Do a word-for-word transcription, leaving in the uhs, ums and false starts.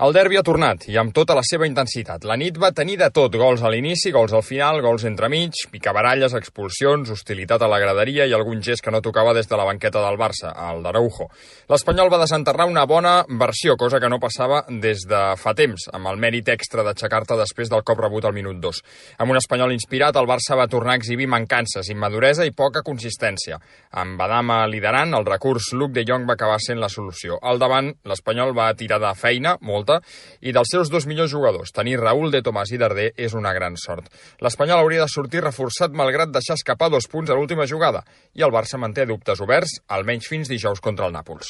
El derbi ha tornat, i amb tota la seva intensitat. La nit va tenir de tot, gols a l'inici, gols al final, gols entremig, picabaralles, expulsions, hostilitat a la graderia i algun gest que no tocava des de la banqueta del Barça, el d'Araujo. L'Espanyol va desenterrar una bona versió, cosa que no passava des de fa temps, amb el mèrit extra d'aixecar-te després del cop rebut al minut dos. Amb un Espanyol inspirat, el Barça va tornar a exhibir mancances, immaduresa i poca consistència. Amb Adama liderant, el recurs Luuk de Jong va acabar sent la solució. Al davant, l'Espanyol va tirar de feina, molta, i dels seus dos millors jugadors, tenir Raúl de Tomàs i Darder és una gran sort. L'Espanyol hauria de sortir reforçat malgrat deixar escapar dos punts a l'última jugada, i el Barça manté dubtes oberts, almenys fins dijous contra el Nàpols.